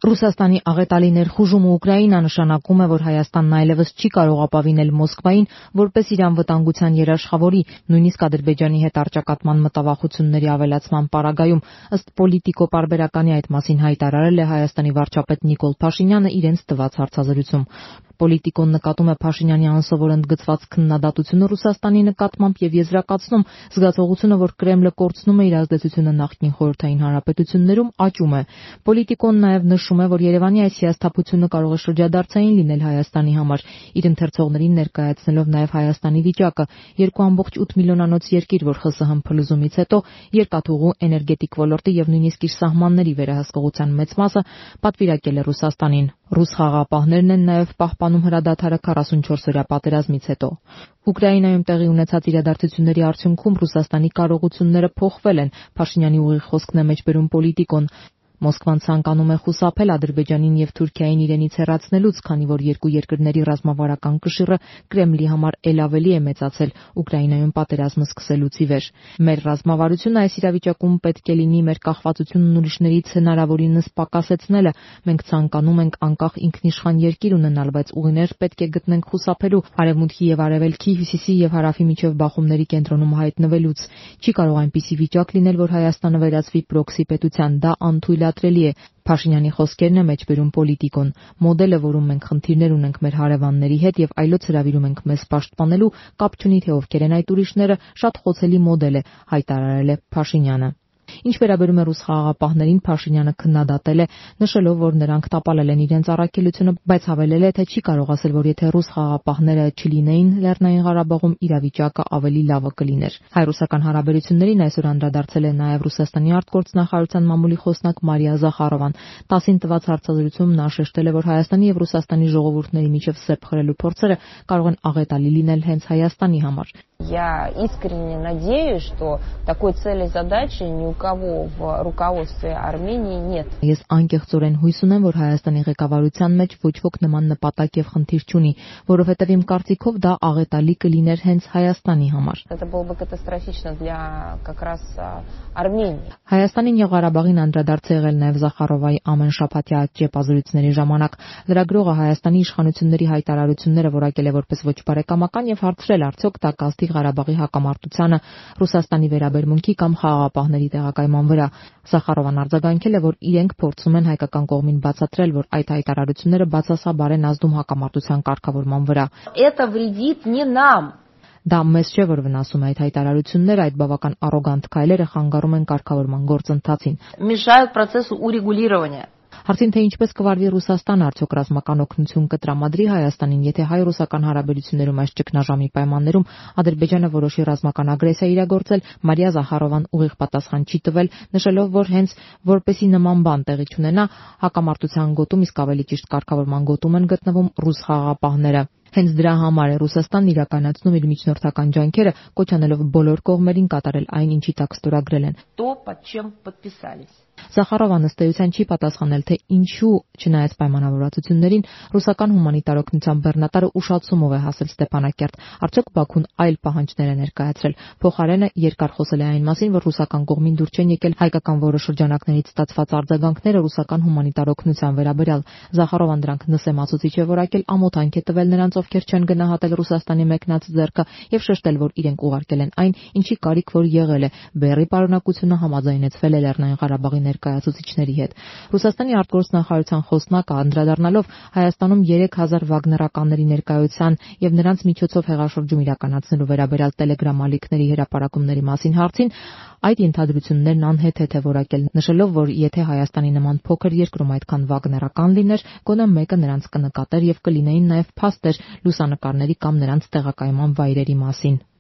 Ռուսաստանի աղետալի ներխուժումը Ուկրաինա նշանակում է, որ Հայաստանն այլևս չի կարող ապավինել Մոսկվային, որպես իր անվտանգության երաշխավորի, նույնիսկ Ադրբեջանի հետ առճակատման մտավախությունների ավելացման պարագայում, ըստ Պոլիտիկո պարբերականի այդ մասին հայտարարել է Հայաստանի վարչապետ Նիկոլ Փաշինյանը իրենց տված հարցազրույցում։ Պոլիտիկոն նկատում է Փաշինյանի անսովոր ընդգծված քննադատությունը Ռուսաստանի նկատմամբ եւ եզրակացնում, զգացողությունը, որ Կրեմլը կորցնում է իր ազդեցությունը նախկին խորհրդային հանրապետություններում, աճում է։ Պոլիտիկոն նաեւ նշում է, որ Երևանի այս հիասթափությունը կարող է շրջադարձային լինել Հայաստանի համար, իր ընթերցողներին ներկայացնելով նաեւ Հայաստանի վիճակը՝ 2.8 միլիոնանոց երկիր, որ ԽՍՀՄ փլուզումից հետո երկաթուղու, էներգետիկ ոլորտի եւ նույնիսկ իր սահմանների վերահսկողության մեծ մասը պատվիրակել է Ռուսաստանին։ Ռուս խաղաղապահներն են նաեւ պահպանում հրադադարը 44-օրյա պատերազմից հետո։ Ուկրաինայում տեղի ունեցած իրադարձությունների արդյունքում Ռուսաստանի կարողությունները փոխվել են, Փաշինյանի ուղիղ խոսքն է մեջբերում Պոլիտիկոն։ Մոսկվան ցանկանում է խուսափել Ադրբեջանին եւ Թուրքիային իրենից հեռացնելուց, քանի որ երկու երկրների ռազմավարական կշիռը Կրեմլի համար ել ավելի է մեծացել Ուկրաինայում պատերազմը սկսելուց ի վեր։ Մեր ռազմավարությունը այս իրավիճակում պետք է լինի մեր կախվածությունն ուրիշներից հնարավորինս պակասեցնելը։ Մենք ցանկանում ենք անկախ ինքնիշխան երկիր ունենալ, բայց ուղիներ պետք է գտնենք խուսափելու արևմուտքի եւ արևելքի, հյուսիսի եւ հարավի միջև բախումների կենտրոնում հայտնվելուց։ Չի կարող այնպիսի վիճակ լինել, որ Հայաստանը վերածվի պրոքսի պետության, դա անթույլատրելի է։ Փաշինյանի խոսքերն է մեջբերում Պոլիտիկոն։ Մոդելը, որում մենք խնդիրներ ունենք մեր հարևանների հետ եւ այլոց հրավիրում ենք մեզ պաշտպանելու, կապ չունի թե ովքեր են այդ ուրիշները, շատ խոցելի մոդել է, հայտարարել է Փաշինյանը։ Ինչ վերաբերում է ռուս խաղաղապահներին, Փաշինյանը քննադատել է, նշելով, որ նրանք տապալել են իրենց առաքելությունը, բայց հավելել է, թե չի կարող ասել, որ եթե ռուս խաղաղապահները չլինեին Լեռնային Ղարաբաղում, իրավիճակը ավելի լավը կլիներ։ Հայ-ռուսական հարաբերություններին այսօր անդրադարձել է նաև Ռուսաստանի արտգործնախարարության մամուլի խոսնակ Մարիա Զախարովան։ ՏԱՍ-ին տված հարցազրույցում նա շեշտել է, որ Հայաստանի եւ Ռուսաստանի ժողովուրդների միջև սեպ խրելու փորձերը կարող են աղետալի լինել հենց Հայաստանի համար։ Я искренне надеюсь, что такой цели и задачи ни у кого в руководстве Армении нет. Ես անկեղծորեն հույս ունեմ, որ Հայաստանի ղեկավարության մեջ ոչ ոք նման նպատակ եւ խնդիր չունի, որովհետեւ իմ կարծիքով դա աղետալի կլիներ հենց Հայաստանի համար։ Это было бы катастрофично для как раз Армении. Հայաստանին եւ Ղարաբաղին անդրադարձ եղել նաեւ Զախարովայի ամեն շաբաթյա ճեպազրույցների ժամանակ։ Լրագրողը Հայաստանի իշխանությունների հայտարարությունները որակել է որպես ոչ բարեկամական եւ հարցրել, արդյոք դա կազդի Ղարաբաղի հակամարտությանը, Ռուսաստանի վերաբերմունքի կամ խաղաղապահների տեղակայման վրա։ Զախարովան արձագանքել է, որ իրենք փորձում են հայկական կողմին բացատրել, որ այդ հայտարարությունները բացասաբար են ազդում հակամարտության կարգավորման վրա։ Это вредит не нам. Դա մեզ չէ, որ վնասում է այդ հայտարարությունները, այդ բավական առոգանտ քայլերը խանգարում են կարգավորման գործընթացին։ Мешают процессу урегулирования. Հարցին թե ինչպես կվարվի Ռուսաստանը, արդյոք ռազմական օգնություն կտրամադրի Հայաստանին, եթե հայ-ռուսական հարաբերություններում այս ճգնաժամի պայմաններում Ադրբեջանը որոշի ռազմական ագրեսիա իրագործել, Մարիա Զախարովան ուղիղ պատասխան չի տվել, նշելով, որ հենց որպեսի նման բան տեղի չունենա, հակամարտության գոտում, իսկ ավելի ճիշտ կարգավորման գոտում են գտնվում ռուս խաղաղապահները։ Հենց դրա համար է Ռուսաստանն իրականացնում իր միջնորդական ջանքերը, կոչ անելով բոլոր կողմերին կատարել այն, ինչի տակ ստորագրել են։ То, под чем подписались. Զախարովան ըստ էության չի պատասխանել, թե ինչու, չնայած պայմանավորվածություններին, ռուսական հումանիտար օգնության բեռնատարը ուշացումով է հասել Ստեփանակերտ, արդյոք Բաքուն այլ պահանջներ է ներկայացրել։ Փոխարենը երկար խոսել է այն մասին, որ ռուսական կողմին դուր չեն եկել հայկական որոշ շրջանակներից ստացված արձագանքները ռուսական հումանիտար օգնության վերաբերյալ։ Զախարովան դրանք նսեմացուցիչ է որակել, ամոթանք է տվել նրանց, ովքեր չեն գնահատել Ռուսաստանի մեկնած ձեռքը, եւ շեշտել, որ իրենք ուղարկել են այն, ինչի կարիք որ եղել է։ Բեռի պարունակությունը համաձայնեցվել է Լեռնային Ղարաբաղի ներկայացուցիչների հետ։ Ռուսաստանի արտգործնախարարության խոսնակը անդրադառնալով Հայաստանում 3000 վագներականների ներկայության եւ նրանց միջոցով հեղաշրջում իրականացնելու վերաբերյալ Telegram ալիքների հրապարակումների մասին հարցին, այդ ենթադրություններն անհեթեթ է որակել, նշելով, որ եթե Հայաստանի նման փոքր երկրում այդքան վագներական լիներ, գոնե մեկը նրանց կնկատեր եւ կլինեին նաեւ փաստեր լուսանկարների կամ նրանց տեղակայման վայրերի մասին։